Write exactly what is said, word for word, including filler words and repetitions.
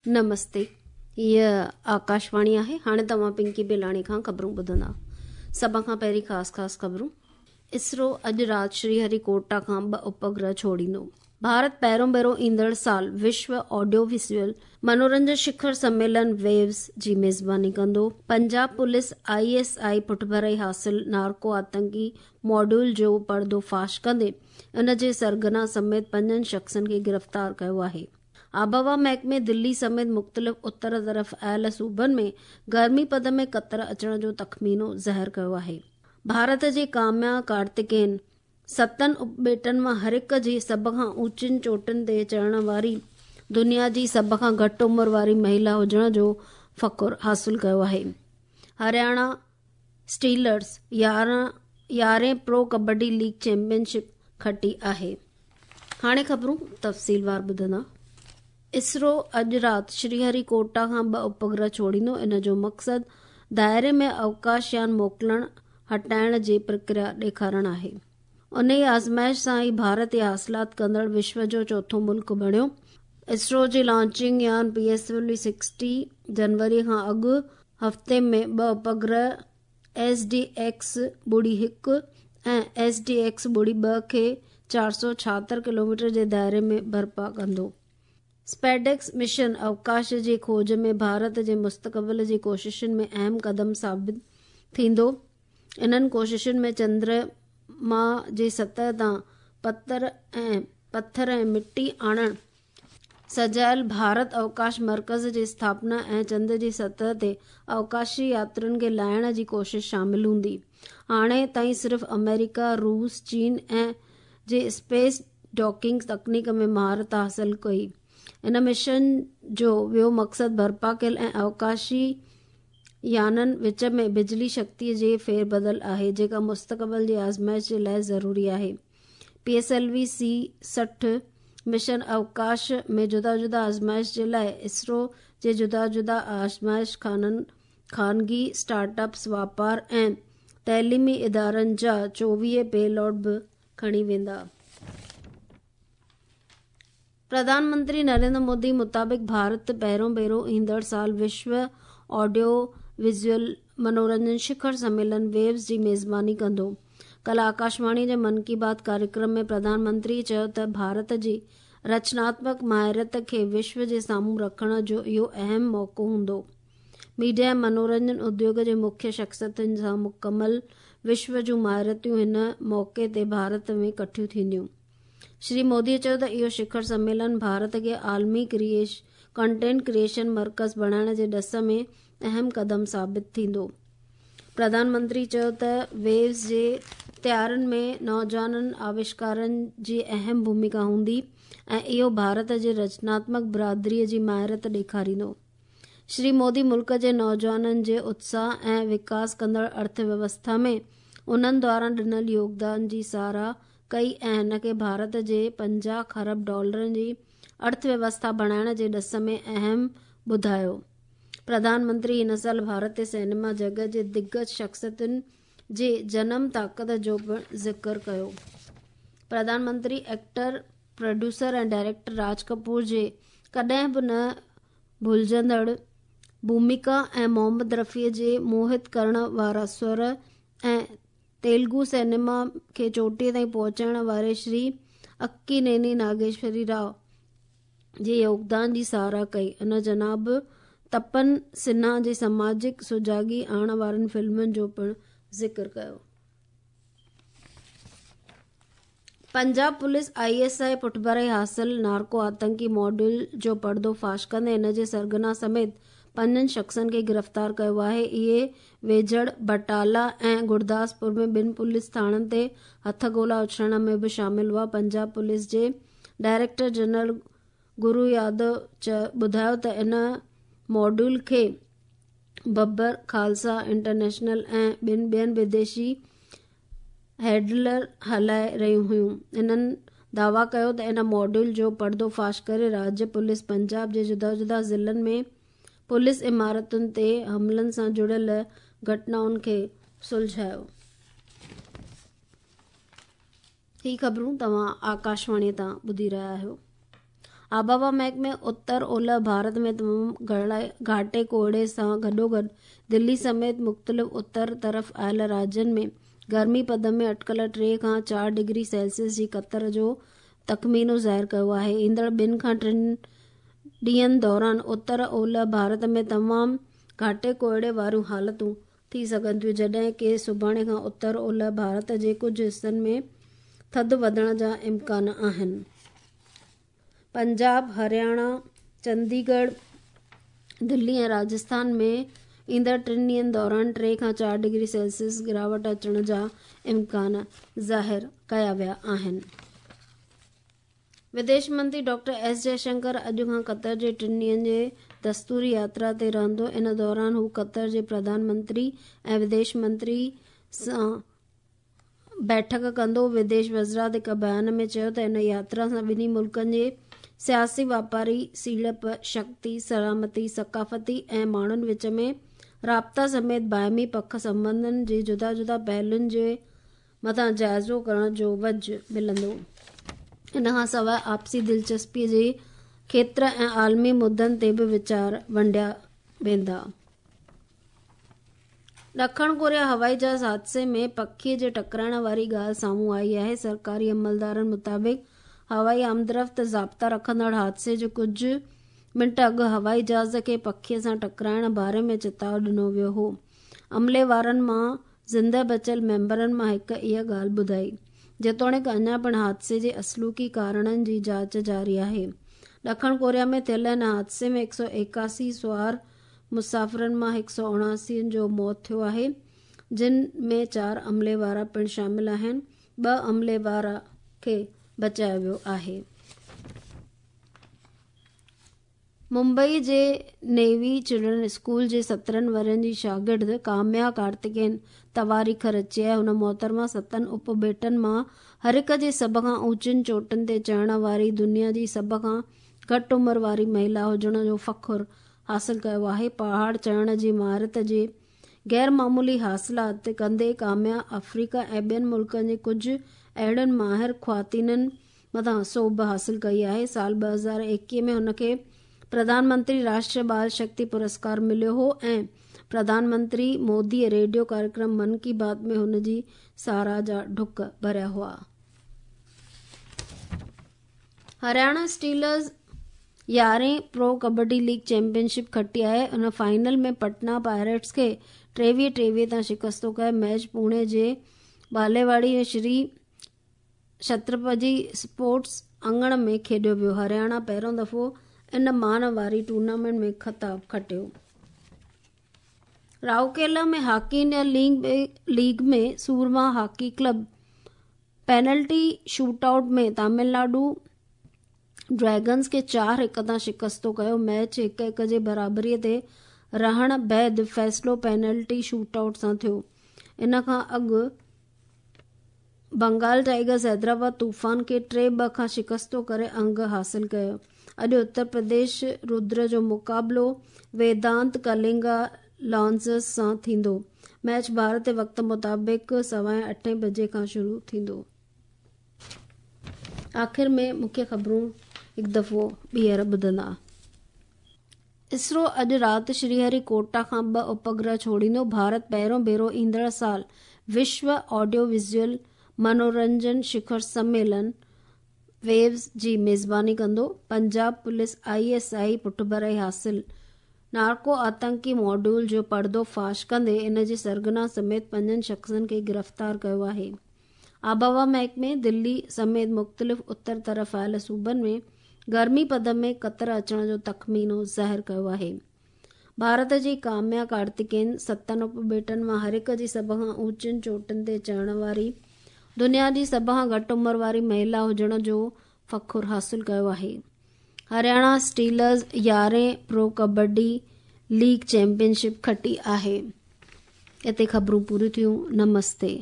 نمستي، هيء آڪاشواڻي آهي. هاڻي توهان پنڪي بيلاڻي کان خبرون ٻڌندا. سڀ کان پهرين خاص خاص خبرون. اسرو اڄ رات شري هري ڪوٽا کان ٻه اپگرهه ڇوڙيندو. ڀارت پهريون ڀيرو ايندڙ سال وشو آڊيو ويزوئل منورنجن شکر سميلن ويوز جي ميزباني ڪندو. Punjab police I S I پٺڀرائي حاصل نارڪو آتنڪي ماڊيول جو پردو فاش ڪندي ان جي سرغنا سميت پنجن شخصن کي گرفتار ڪيو آهي. آبهوا محڪمي دلي سميت مختلف اتر طرف آيل صوبن ۾ گرمي پد ۾ ڪتر اچڻ جو تخمينو ظاهر ڪيو آهي. ڀارت جي ڪاميا ڪارتڪين ستن اپٻيٽن مان هر هڪ جي سڀ کان اوچين چوٽين تي چڙهڻ واري دنيا جي سڀ کان گهٽ عمر واري مهيلا هجڻ جو فخر حاصل ڪيو آهي. هرياڻا اسٽيلرز يارهن يارهين پرو ڪبڊي ليگ چيمپئن شپ کٽي آهي. هاڻي خبرون تفصيلوار ٻڌندا. اسرو اڄ رات شري هري ڪوٽا کان ٻه اپگرهه ڇوڙيندو. ان جو مقصد دائري ۾ اوڪاش يان موڪلڻ هٽائڻ جي پرڪريا ڏيکارڻ آهي. انهيء آزمائش سان ئي ڀارت اها حاصلات ڪندڙ وشو جو چوٿون ملڪ بڻيو. اسرو جي لانچنگ يان P S L V sixty جنوري کان اڳ هفتي ۾ ٻه اپگرهه ايس ڊي ايڪس ٻڙي هڪ ۽ ايس ڊي ايڪس ٻڙي ٻه کي چار سؤ ڇاهتر ڪلوميٽر جي دائري ۾ برپا ڪندو. اسپيڊيڪس مشن اوڪاش جي کوج ۾ ڀارت جي مستقبل جي ڪوششن ۾ اهم قدم ثابت ٿيندو. انهن ڪوششن ۾ چندرما جي سطح تان پتر ۽ پٿر ۽ مٽي آڻڻ، سجايل ڀارت اوڪاش مرڪز جي اسٿاپنا ۽ چنڊ جي سطح تي اوڪاشي ياترين کي لاهڻ جي ڪوشش شامل هوندي. هاڻي تائين صرف آمريڪا، روس، چين ۽ جي اسپيس ڊاڪنگ تڪنيڪ ۾ مهارت حاصل ڪئي. ان مشن جو ٻيو مقصد برپا ڪيل ۽ اوڪاشي يانن وچ ۾ بجلي شڪتي جي ڦير بدل آهي، جيڪا مستقبل جي آزمائش جي لاءِ ضروري آهي. P S L V سي سٺ مشن اوڪاش ۾ جدا جدا آزمائش جي لاءِ اسرو جي جدا جدا آزمائش خانن، خانگي اسٽارٽ اپس، واپار ۽ تعليمي ادارن جا چوويهه پي لوڊ به کڻي ويندا. پرڌان منتري نريندر مودي مطابق ڀارت پهريون ڀيرو ايندڙ سال وشو آڊيو ويزوئل منورنجن شکر سميلن ويوز جي ميزباني ڪندو. ڪالهه آڪاشواڻي جي من ڪي بات ڪاريڪرم ۾ پرڌان منتري چيو ته ڀارت جي رچناتمڪ مهارت کي وشو جي سامهون رکڻ جو اهو اهم موقعو هوندو. ميڊيا ۽ منورنجن اديوگ جي مکيه شخصيتن سان مڪمل وشو جون مهارتون هن موقعي تي ڀارت ۾ ڪٺيون ٿينديون. شري مودي چيو ته اهو شکر سميلن ڀارت کي عالمي ڪنٽينٽ ڪريئيشن مرڪز بڻائڻ جي ڏس ۾ اهم قدم ثابت ٿيندو. پرڌان منتري چيو ته ويوز جي تيارين ۾ نوجوان آوشڪارن جي اهم ڀوميڪا هوندي ۽ اهو ڀارت جي رچناتمڪ برادري جي مهارت ڏيکاريندو. شري مودي ملڪ جي نوجوانن جي اتساهه ۽ وڪاس ڪندڙ ارٿ ويوسٿا ۾ انهن دواران ڏنل يوگدان جي ساراهه ڪئي ۽ هن کي ڀارت جي پنجاهه کرب ڊالرن جي ارٿ ويوسٿا بڻائڻ جي ڏس ۾ اهم ٻڌايو. پرڌان منتري هن سال ڀارتي سئنيما جڳت جي دگج شخصيتن جي جنم طاقت جو پڻ ذڪر ڪيو. Pradhan Mantri actor, producer ۽ director راج ڪپور جي ڪڏهن به نه ڀلجندڙ ڀوميڪا ۽ محمد رفيع جي موهت ڪرڻ وارا سر ۽ تيلگو سئنيما کي چوٽيءَ تائين پهچائڻ واري شري اڪينيني ناگيشوري رائو جي يوگدان جي ساراهه ڪئي. ان جناب تپن سنها جي سماجڪ سجاڳي آڻڻ وارين فلمن جو پڻ ذڪر ڪيو. Punjab police I S I پٺڀرائي حاصل نارڪو آتنڪي ماڊيول جو پردو فاش ڪندي ان جي سرغنا سميت پنجن شخصن کي گرفتار ڪيو آهي. اهي ويجهڙ بٽالا ۽ گرداسپور ۾ ٻن پوليس ٿاڻن تي هٿ گولا اڇلائڻ ۾ به شامل هئا. پنجاب پوليس جي ڊائريڪٽر جنرل گرو يادو ٻڌايو ته ان ماڊيول کي ببر خالصا انٽرنيشنل ۽ ٻن ٻين وديشي هينڊلر هلائي رهيون هيون. انهن دعويٰ ڪيو ته ان ماڊيول جو پردو فاش ڪري راجيه پوليس پنجاب جي جدا جدا ضلعن ۾ پوليس عمارتن تي حملن سان جڙيل گهٽنائن کي سلجهايو. هي خبرون توهان آڪاشواڻي تان ٻڌي رهيا آهيو. آبهوا محڪمي اتر اولهه ڀارت ۾ تمام گهاٽي ڪوهيڙي سان گڏوگڏ دلي سميت مختلف اتر طرف آيل راجين ۾ گرمي پد ۾ اٽڪل ٽي کان چار ڊگري سيلسيس جي ڪتر جو تخمينو ظاهر ڪيو آهي. ايندڙ ٻن کان ٽن ڏينهن دوران اتر اولهه ڀارت ۾ تمام گهاٽي ڪوهيڙي واريون حالتون ٿي سگهن ٿيون، جڏهن ڪه سڀاڻي کان اتر اولهه ڀارت جي ڪجهه حصن ۾ ٿڌ وڌڻ جا امڪان آهن. پنجاب، هرياڻا، چنديڳڙهه، دلي ۽ راجسٿان ۾ ايندڙ ٽن ڏينهن دوران ٽي کان چار ڊگري سيلسيس گراوٽ اچڻ جا امڪان ظاهر ڪيا ويا آهن. وديش منتري ڊاڪٽر ايس جئشنڪر اڄ کان قطر جي ٽن ڏينهن جي دستوري ياترا تي رهندو. ان دوران هو قطر جي پرڌان منتري ۽ وديش منتري سان بيٺڪ ڪندو. وديش وزارت هڪ بيان ۾ چيو ته ان ياترا سان ٻنهي ملڪن جي سياسي، واپاري، سيڙپ، شڪتي، سلامتي، ثقافتي ۽ ماڻهن وچ ۾ رابطا سميت باهمي پک سنٻنڌن جي جدا جدا پهلوئن جي مٿان جائزو ڪرڻ جو وجهه ملندو. ان کان سواءِ آپسي دلچسپي جي کيتر ۽ عالمي مدعن تي به ويچار ونڊيا ويندا. ڏکڻ ڪوريا هوائي جهاز حادثي ۾ پکي جي ٽڪرائڻ واري ڳالهه سامهون آئي آهي. سرڪاري عملدارن مطابق هوائي آمدرفت ضابطا رکندڙ حادثي جي ڪجهه منٽ اڳ هوائي جهاز کي پکي سان ٽڪرائڻ باري ۾ چتاءُ ڏنو ويو هو. عملي وارن مان زنده بچيل ميمبرن مان هڪ اها ڳالهه ٻڌائي. جيتوڻيڪ اڃا پڻ حادثي جي اصلوڪي ڪارڻن جي جاچ جاري آهي. ڏکڻ ڪوريا ۾ ٿيل هن حادثي ۾ هڪ سؤ ايڪاسي سوار مسافرن مان هڪ سؤ اڻاسي جو موت ٿيو آهي، جن ۾ چار عملي وارا پڻ شامل آهن. ٻه عملي وارا کي بچايو ويو آهي. ممبئي جي نيوي چلڊرن اسڪول جي سترهن ورهين جي شاگرد ڪاميا ڪارتڪين تواريخ رچي آهي. هن محترمه ستن اپٻيٽن مان هر هڪ جي سڀ کان اوچين چوٽين تي چڙهڻ واري دنيا جي سڀ کان گهٽ عمر واري مهلا هجڻ جو فخر حاصل ڪيو آهي. پهاڙ چڙهڻ جي مهارت جي غير معمولي حاصلات ڪندي ڪاميا آفريڪا ۽ ٻين ملڪن جي ڪجهه اهڙين ماهر خواتينن مٿان سوڀ حاصل ڪئي آهي. سال ٻه هزار ايڪويهه ۾ هن کي پرڌان منتري راشٽريه بال شڪتي پرسڪار مليو هو ۽ پرڌان منتري موديءَ ريڊيو ڪاريڪرم من ڪي بات ۾ هن جي ساراهه جا ڍڪ ڀريا هئا. هرياڻا اسٽيلرز يارهين پرو ڪبڊي ليگ چيمپئن شپ کٽي آهي. ان فائنل ۾ پٽنا پائريٽس کي ٽيويهه ٽيويهه تان شڪست ڪئي. ميچ پوني جي باليواڙي ۾ شري ڇترپتي اسپورٽس اڱڻ ۾ کيڏيو ويو. هرياڻا پهريون دفعو ان مان واري ٽورنامينٽ ۾ خطاب کٽيو. Rourkela ۾ hockey India league ۾ Soorma hockey club penalty shoot out ۾ Tamil Nadu dragons کي چار هڪ تان شڪست ڪيو. ميچ هڪ هڪ جي برابري تي رهڻ بعد فيصلو پينلٽي شوٽ آئوٽ سان ٿيو. ان کان اڳ بنگال ٽائيگرز حيدرآباد طوفان کي ٽي ٻه کان شڪست ڪري انگ حاصل ڪيو. اڄ اتر پرديش ردر جو مقابلو ويدانت ڪلنگا لانسرز سان ٿيندو. ميچ ڀارتي وقت مطابق سوا اٺين بجي کان شروع ٿيندو. آخر ۾ مکيه خبرون هڪ دفعو ٻيهر ٻڌندا. اسرو اڄ رات شري هري ڪوٽا کان ٻه اپگرهه ڇوڙيندو. ڀارت پهريون ڀيرو ايندڙ سال وشو آڊيو ويزوئل منورنجن شکر سميلن ويوز جي ميزباني ڪندو. Punjab police I S I پٺڀرائي حاصل نارڪو آتنڪي ماڊيول جو پردو فاش ڪندي ان جي سرغنا سميت پنجن شخصن کي گرفتار ڪيو آهي. آبهوا محڪمي دلي سميت مختلف اتر طرف آيل صوبن ۾ گرمي پد ۾ ڪتر اچڻ جو تخمينو ظاهر ڪيو آهي. ڀارت جي ڪاميا ڪارتڪين ستن اپٻيٽن مان هر هڪ جي سڀ کان اوچين چوٽين تي چڙهڻ واري دنيا جي سڀ کان گهٽ عمر واري مهلا هجڻ جو فخر حاصل ڪيو آهي. هرياڻا اسٽيلرز يارهين پرو ڪبڊي ليگ چيمپئن شپ کٽي آهي. هتي خبرون پوريون ٿيون. نمستي.